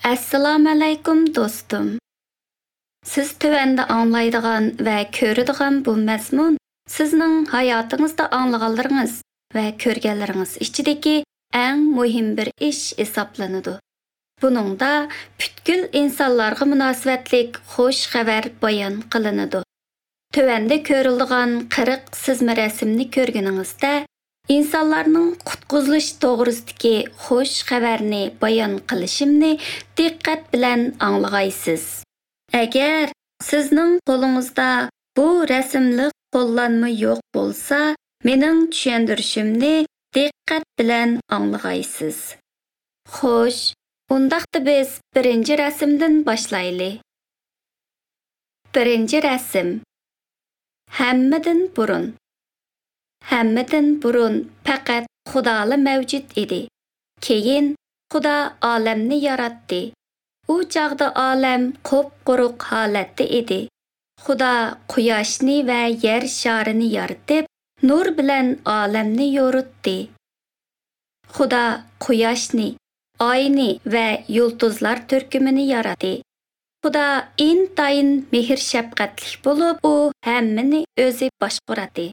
Assalomu alaykum do'stim. Siz tövəndə anglaydigan va ko'radigan bu mazmun sizning hayotingizda anglaganlaringiz va ko'rganlaringiz ichidagi eng muhim bir ish hisoblanadi. Buningda butkul insonlarga munosabatlik xush xabar bayon qilinadi. Tövəndə ko'rildigan 40 sizma rasmni ko'rganingizda insonlarning qutqizilish to'g'risidagi xush xabarni bayon qilishimni diqqat bilan anglag'aysiz. Agar sizning qo'lingizda bu rasmli qo'llanma yo'q bo'lsa, mening tushuntirishimni diqqat bilan anglag'aysiz. Xo'sh, undaqda biz birinchi rasmdan boshlayli. Birinchi rasm. Hammadan burun. Hammadan burun faqat Xudola mavjud edi. Keyin Xudo olamni yaratdi. U chog'da olam qup-quruq holatda edi. Xudo quyoshni va yer sharini yaratib, nur bilan olamni yoritdi. Xudo quyoshni, oyni va yulduzlar turkumini yaratdi. Xudo intayin mehr-shafqatli bo'lib, u hammani o'zi boshqaradi.